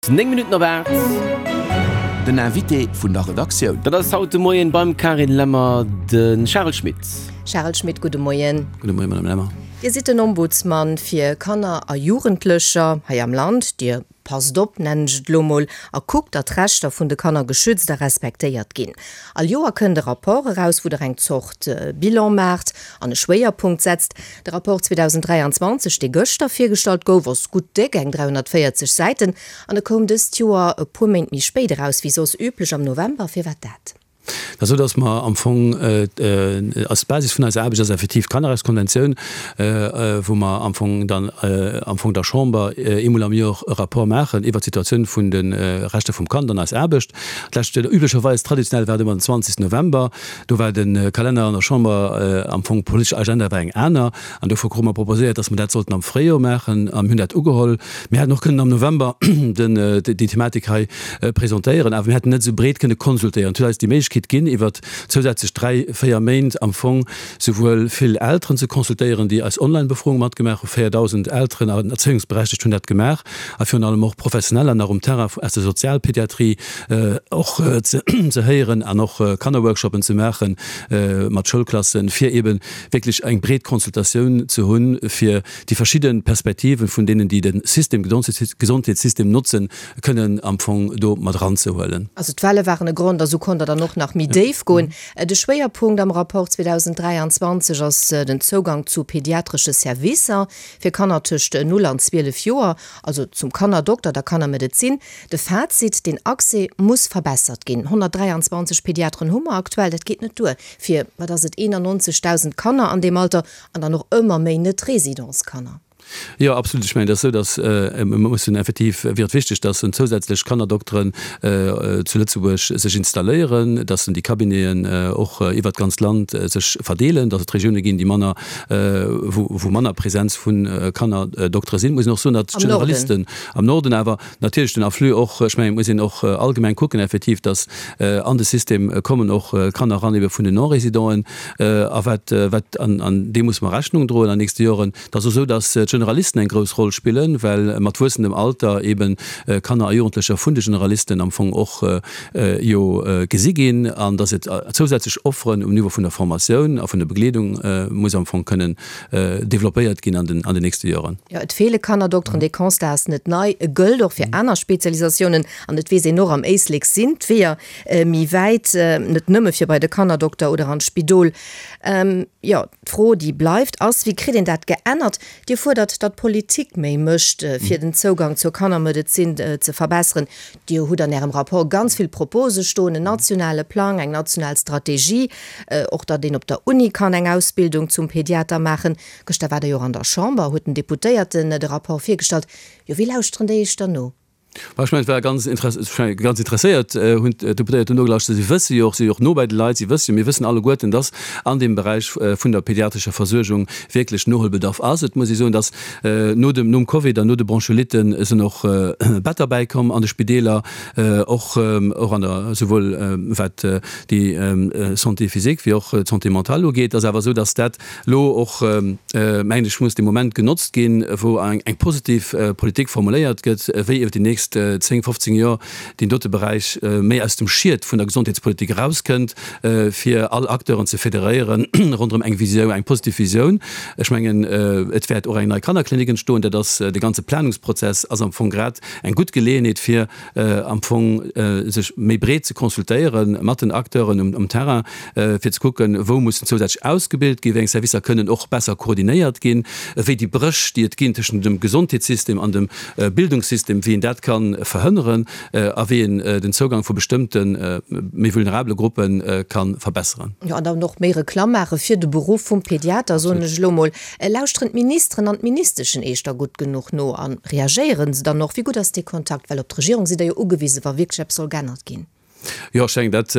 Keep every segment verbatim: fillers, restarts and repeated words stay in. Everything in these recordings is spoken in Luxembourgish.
Néng Minutten op aacht. Den Invité vun der Redaktioun. Dat ass haut de Moien beim Carine Lemmer de Charel Schmit. Charel Schmit, gudde Moien. Gudde Moien, Madame Lemmer. Dir sidd den Ombudsman fir Kanner a Jugendlecher hei am Land. Dir passt op, nennen ech et elo mol, a kuckt, datt d'Rechter vun de Kanner geschützt a respektéiert ginn. All Joer kënnt e Rapport eraus, wou Der eng Zort Bilan maacht an e Schwéierpunkt setzt. De Rapport zweedausenddräianzwanzeg, dee gëschter virgestallt gouf, ass gutt déck, eng dräihonnertvéierzeg Säiten, an e koum dëst Joer e puer Méint méi spéit eraus wéi soss üblech am November. Firwat dat? Et ass esou, datt mer am Fong als Basis vun eiser Aarbecht ass effektiv d'Kannerrechtskonventioun, wou mer am Fong dann am Fong der Chamber eemol am Jor e Rapport maachen iwwert d'Situatioun vun de Rechter vum Kand an eis Aarbecht. D'lescht, üblecherweis, traditionell war et ëmmer den zwanzegsten November. Do war de Kalenner an der Chamber am Fong, d'politesch Agenda war eng aner an dofir krute mer proposéiert, datt mer dat sollten am Fréijor maachen a mir hunn dat ugeholl. Mir hätten och kënnen am November den, déi Thematik hei presentéieren, awer mir hätten net esou breet kënne konsultéieren. Et huet eis déi Méiglechkeet ginn, iwwer zousätzlech dräi, véier Méint am Fong souwuel vill Elteren ze consultéieren, déi eis Online-Befroung matgemaach hunn, véierdausend Elteren an Erzéiungsberechtegt hunn dat gemaach, a virun allem och Professioneller nach um Terrain aus der Sozialpediatrie och ze héieren an och Kannerworkshoppen ze maache mat Schoulklassen, fir eebe wierklech eng breet Consultatioun ze hunn, fir déi verschidde Perspektiven vun deenen, déi de System, Gesondheetssystem notzen, kënnen am Fong do mat eranzehuelen. Also d'Welle waren e Grond a sou konnt Der dann och nach méi déif goen. De Schwéierpunkt am Rapport zweedausenddräianzwanzeg ass den Zougang zu pediatresche Servicer fir Kanner tëscht null an zwielef Joer, also zum Kannerdokter, der Kannermedezin. De Fazit, Den Accès muss verbessert ginn. honnertdräianzwanzeg Pediateren hu mer aktuell, dat geet net duer fir, wat ass et, eenannonzegdausend Kanner an deem Alter an dann och ëmmer méi Net-Résidence-Kanner. Jo, absolut. Ech mengen, et ass esou, datt mir mussen effektiv, wier et wichteg, datt en zousätzlech Kannerdokteren zu Lëtzebuerg sech installéieren, datt en déi Cabineten och iwwert d'ganzt Land sech verdeelen, datt et Regioune ginn, déi manner, wou wou manner Präsenz vu Kannerdoktere sinn. Et muss een och soen, datt d'Generalisten am Norden awer natierlech den Afflux och, ech mengen, et muss een och allgemeng kucken effektiv, datt an de System kommen och Kanner eran ebe vun den Non-Résidenten a wat wat an deem musse mer Rechnung droen an den nächste Joren. Et ass och esou, datt d'Generalisten eng grouss Roll spillen, well mat wuessendem Alter eebe Kanner a Jugendlecher vun de Generalisten am Fong och jo gesi ginn an datt et zousätzlech Offeren um Niveau vun der Formatioun a vun der Begleedung muss am Fong kënnen developpéiert ginn an den an den nächste Joren. Jo, et feele Kannerdokteren. Dee Constat ass net nei. E gëllt och fir aner Spezialisatiounen an et weess een och, am Éislek sinn d'Weeër méi wäit, net nëmme fir bei de Kannerdokter oder an d'Spidol. Jo, d'Fro, déi bleift, ass, Wéi kritt een dat geännert? Dir fuerdert, datt d'Politik méi mécht, fir den Zougang zur Kannermedezin ze verbesseren. Dir hutt an Ärem Rapport ganz vill Propose stoen, en nationale Plang, eng national Strategie, och datt een op der Uni kann eng Ausbildung zum Pediater maachen. Gëschter waart Der jo och an der Chamber, huet den Deputéierten de Rapport virgestallt. Jo, wéi lauschteren déi Iech dann no? Bon, ech mengen, et war ganz ganz interesséiert hunn d'Deputéiert do nogelauschtert. Si wësse jo och, si si jo och no bei de Leit, si wësse jo, mir wëssen alleguerten, dass an deem Beräich vun der pediatrescher Versuergung wierklech Noholbedarf ass. Et muss ee soen, dass no dem, nom Covid an no de Bronchiolitten sinn och Better bäikomm an de Spideeler, och, och an der, souwuel wat déi Santé physique wéi och d'Santé mentale ugeet. Et ass awer esou, dass dat elo och, mengen ech, muss dee Moment genotzt ginn, wou eng positiv Politik formuléiert gëtt, wéi iwwer déi nächst zéng, fofzéng Joer deen dote Beräich méi aus dem Schiet vun der Gesondheetspolitik erauskënnt, fir all Acteuren ze federéieren ronderëm eng Visioun, eng positiv Visioun. Ech mengen, et wäert och eng nei Kannerklinik entstoen. Dat ass, dee ganze Planungsprozess ass am Fong grad eng gutt Geleeënheet, fir am Fong sech méi breet ze consultéiere mat den Acteuren um Terrain, fir ze kucken, wou mussen zousätzlech ausgebilt ginn, wéi eng Servicer kënnen och besser koordinéiert ginn, wéi déi Bréch, déi et ginn tëschent dem Gesondheetssystem an dem Bildungssystem, wéi een dat ka verhënneren a wéi een den Zougang vu bestëmmte méi vulnerabele Gruppe ka verbesseren. Jo, an dann och méi Reklamm maache fir de Beruff vum Pediater, soen ech elo mol. Lauschteren d'Ministeren an d'Ministeschen Iech da gutt genuch no a reagéiere se dann och? Wéi gutt ass dee Kontakt? Well op d'Regierung sidd Der jo ugewisen, wa wierklech eppes soll geännert ginn. Jo, ech denken, dat,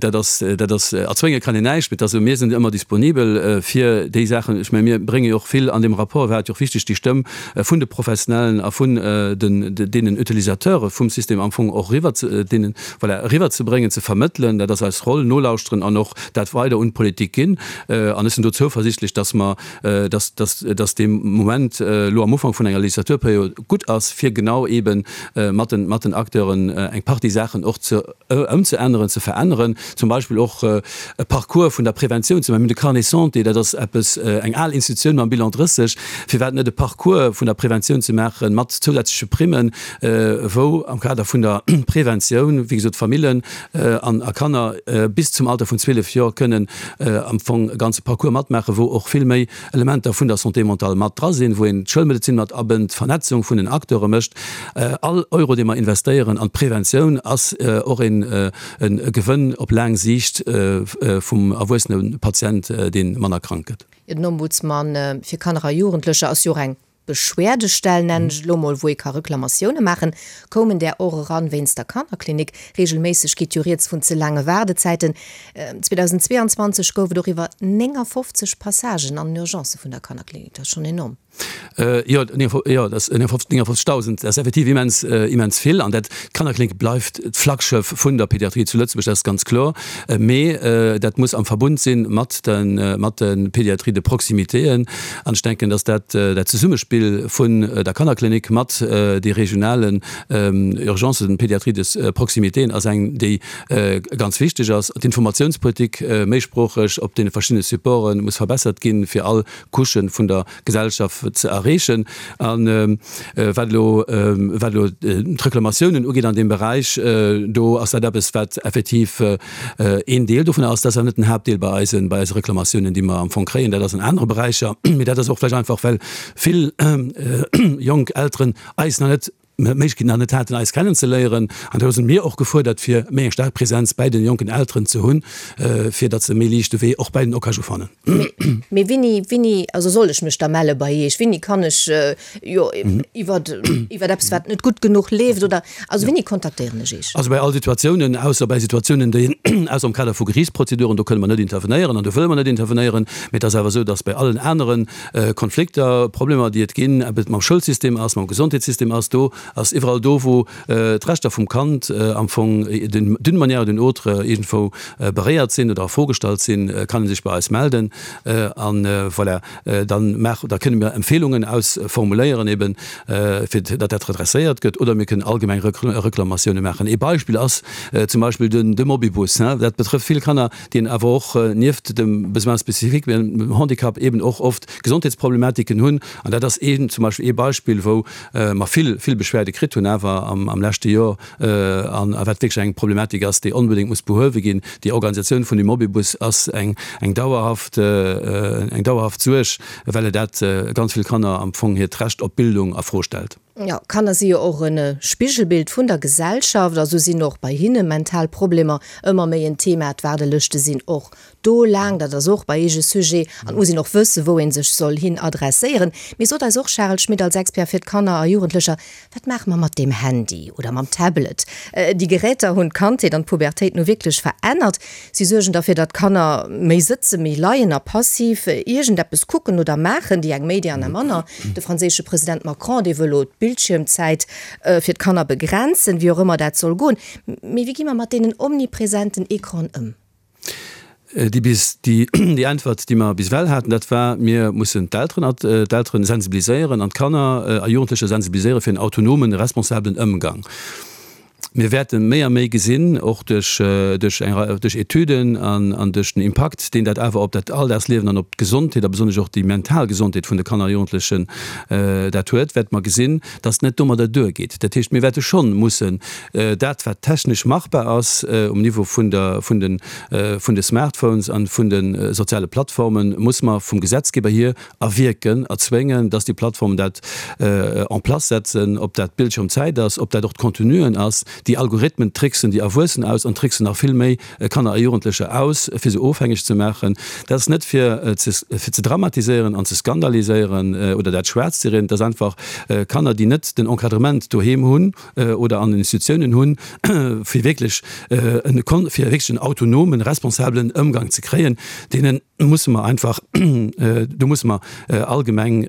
dat ass, dat ass, erzwénge kann een näischt, mee et ass esou, mir sinn ëmmer disponibel fir déi Saachen. Ech mengen, mir brénge jo och vill an deem Rapport, war et jo och wichteg, déi Stëmm vun de Professionellen a vun den, deenen Utilisateure vum System am Fong och eriwwer ze, deenen, voilà, eriwwerzebréngen, ze vermëttelen. Dat ass eis Roll, nolauschteren an och dat weider un d'Politik ginn. An ech sinn do zouversichtlech, dass mer, dass, dass, dass dee Moment elo am Ufank vun enger Legislaturperiod gutt ass, fir genau eebe mat den, mat den Acteuren eng Partie Saachen och ze ëmzeänneren, ze veränneren, zum Beispill och e Parcours vun der Preventioun ze maachen. Mir hunn de Carnet santé, dat ass eppes, eng al Institutioun mam Bilan drësseg. Firwat net e Parcours vun der Preventioun ze maachen mat zousätzleche Primmen, wou am Kader vun der Preventioun, wéi gesot, Famillen an a Kanner bis zum Alter vun zwielef Joer kënnen am Fong e ganze Parcours matmaachen, wou och vill méi Elementer vun der Santé mentale mat dra sinn, wou een d'Schoulmedezin mat abënnt, d'Vernetzung vun den Acteure mécht. All Euro, dee mer investéieren an d'Preventioun, ass och een e Gewënn op laang Siicht vum erwuessene Patient, dee manner krank gëtt. Den Ombudsman fir Kanner a Jugendlecher ass jo och eng Beschwerdestell, nennen ech et elo mol, wou ee ka Reklamatioune maachen. Koumen där och eran wéinst der Kannerklinik? Reegelméisseg geet jo rieds vun ze laange Waardezäiten. zweedausendzweeanzwanzeg gouf et och iwwer néngafofzeg Passagen an den Urgencë vun der Kannerklinik. Dat ass schonn enorm. Jo, jo, dat ass néngafofzegdausend, dat ass effektiv immens, immens vill. An dat, d'Kannerklinik bleift d'Flaggschëff vun der Pediatrie zu Lëtzebuerg, dat ass ganz kloer. Mee dat muss am Verbund si mat de, mat de Pédiatries de proximitéen. An ech denken, datt dat, dat Zesummespill vun der Kannerklinik mat de regionalen Urgencen, den Pédiatries de proximitéen ass eng, déi ganz wichteg ass. D'Informatiounspolitik méisproocheg op deene verschiddene Supporte muss verbessert ginn, fir all Couchë vun der Gesellschaft ze erreechen. A wat elo, wat elo d'Reklamatiounen ugeet an deem Beräich, do ass dat eppes, wat effektiv een Deel dovun ass. Dat ass awer net den Haaptdeel bei eisen, bei eise Reklamatiounen, déi mer am Fong kréien. Dat ass an anere Beräicher. Mee dat ass och vläicht einfach, well vill jonk Elteren eis nach net, d'Méiglechkeet nach net haten, eis kennenzeléieren. An do si mir och gefuerdert, fir méi eng staark Präsenz bäi den jonken Elteren ze hunn, fir datt se méi liicht de Wee och bäi den OKaJu fannen. Mee wéini, wéini, also soll ech mech da melle bei Iech? Wéini kann ech, jo, iwwer, iwwer eppes, wat net gutt genuch leeft oder, also wéini kontaktéieren ech Iech? Also bei all Situatiounen, ausser bei Situatiounen, déi, ausser am Kader vu Geriichtsprozeduren, do kënne mer net intervenéieren an do wëlle mer net intervenéieren. Mee et ass awer esou, datt bei allen anere Konflikter, Problemer, déi et ginn, ob et mam Schoulsystem ass, mam Gesondheetssystem ass, do ass iwwerall do, wou d'Rechter vum Kand am Fong d'une manière ou d'une autre iergendwou beréiert sinn oder a Fro gestallt sinn, kann ee sech bei eis melden. An voilà, dann maache, da kënne mir Empfehlungen ausformuléieren eben, fir datt dat redresséiert gëtt, oder mir kënnen allgemeng Reklamatioune maachen. Ee Beispill ass zum Beispill de Mobibus. Dat betrëfft vill Kanner, déi awer och nieft dem Besoin spécifique, dem Handicap, eben och oft Gesondheetsproblematiken hunn. An dat ass een, zum Beispill ee Beispill, wou mer vill, vill Beschwerde kritt hunn awer am, am leschte Joer, an a wat wierklech eng Problematik ass, déi onbedéngt muss behuewe ginn. Déi Organisatioun vun dem Mobibus ass eng, eng dauerhaft, eng dauerhaft Suerg, well et dat ganz vill Kanner am Fong hiert Recht op Bildung a Fro stellt. Jo, Kanner si jo och e Spigelbild vun der Gesellschaft, a sou sinn och bei hinne mental Problemer ëmmer méi en Thema. D'Waardelëschte sinn och do laang, dat ass och bei Iech e Sujet, an et muss een och wëssen, wou ee sech soll hin adresséieren. Mee sot eis och, Charel Schmit, als Expert fir d'Kanner a Jugendlecher, wat maache mer mat deem Handy oder mam Tablet? Déi Geräter hunn d'Kandheet an d'Pubertéit nu wierklech verännert. Si suergen derfir, datt d'Kanner méi sëtzen, méi leien a passiv iergendeppes kucken oder maachen, déi eng méi, déi aner manner. De franséische President Macron, dee wëll elo d'Bildschiermzäit fir d'Kanner begrenzen, wéi och ëmmer dat soll goen. Mee wéi gi mer mat deenen omnipresenten Ecranen ëm? Déi bis, déi, déi Äntwert, déi mer bis ewell haten, dat war, Mir mussen d'Elteren, d'Elteren sensibiliséieren an d'Kanner a Jugendlecher sensibiliséiere fir en autonomen, responsabelen Ëmgang. Mir wäerte méi a méi gesinn, och duerch, duerch eng Rei, duerch Etüden an, an duerch den Impakt, deen dat awer op dat Alldagsliewen an op d'Gesondheet a besonnesch och déi mental Gesondheet vun de Kanner a Jugendlechen dat huet, wäerte mer gesinn, dass et net domadder duergeet. Dat heescht, mir wäerte schonn mussen dat, wat technesch machbar ass um Niveau vun der, vun de, vun de Smartphones an vun de soziale Plattformen, muss mer vum Gesetzgeber hier erwierken, erzwéngen, dass déi Plattformen dat en place setzen, ob dat d'Bildschirmzäit ass, ob dat och d'Contenuen ass, Déi Algorithmen tricksen déi Erwuessen aus an tricksen nach vill méi Kanner a Jugendlecher aus, fir se ofhängeg ze maachen. Dat ass net fir ze fir ze dramatiséieren an ze skandaliséieren oder dat schwaarz ze rieden. Et ass einfach Kanner, déi net den Encadrement doheem hunn oder an den Institutiounen hunn, fir wierklech en fir wierklech en autonomen, responsabelen Ëmgang ze kréien, deenen musse mer einfach, do musse mer allgemeng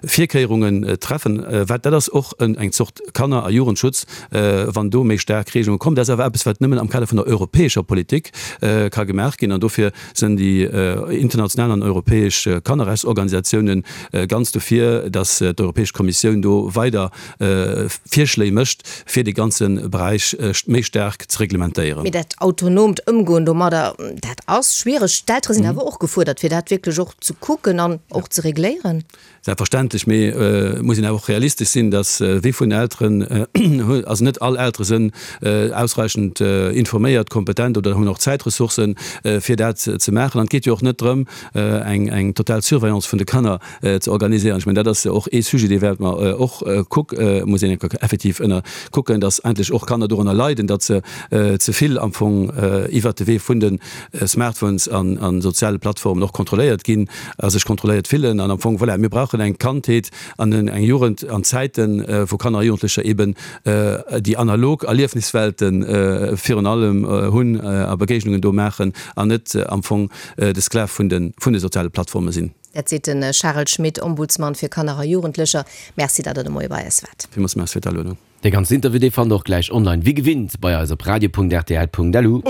Virkéierungen treffen. Wat dat ass och eng Zort Kanner a Jugendschutz, wann do méi staark Regelunge kommen. Dat ass awer eppes, wat nëmmen am Kader vun der europäescher Politik ka gemaach ginn. An dofir sinn déi international an europäesch Kannerrechtsorganisatiounen ganz dofir, datt d'Europäesch Kommissioun do weider Virschléi mécht, fir dee ganze Beräich méi staark ze reglementéieren. Mee dat autonoomt Ëmgoen domadder, dat ass schwiereg. D'Eltere sinn awer och gefuerdert, fir dat wierklech och ze kucken an och ze regléieren. Selbstverständlech, mee et muss een awer och realistesch sinn, dass wéi vun Elteren, also net all Eltere sinn ausreichend informéiert, kompetent oder hunn och Zäitressourcen, fir dat ze maachen. An et geet jo och net drëm, eng eng total Surveillance vun de Kanner ze organiséieren. Ech mengen, dat ass och ee Sujet, dee wäerte mer och kuck, muss een effektiv ënner kucken, dass endlech och Kanner dorënner leiden, datt se ze vill am Fong iwwert de Wee vun de Smartphones an a soziale Plattformen och kontrolléiert ginn a sech kontrolléiert fillen. An am Fong, voilà, mir brauchen eng Kandheet an eng Jugend an Zäiten, wou Kanner a Jugendlecher eben déi analog Erliefniswelte virun allem hunn a Begéignungen do maachen an net am Fong de Sklav vun de soziale Plattforme sinn. Dat seet de Charel Schmit, Ombudsman fir Kanner a Jugendlecher. Merci, datt Der de Moie bei eis waart. Villmools Merci fir d'Aluedung. Dee ganzen Interview, dee fannt Der och gläich online, wéi gewinnt, bei eis op radio.rtl.lu.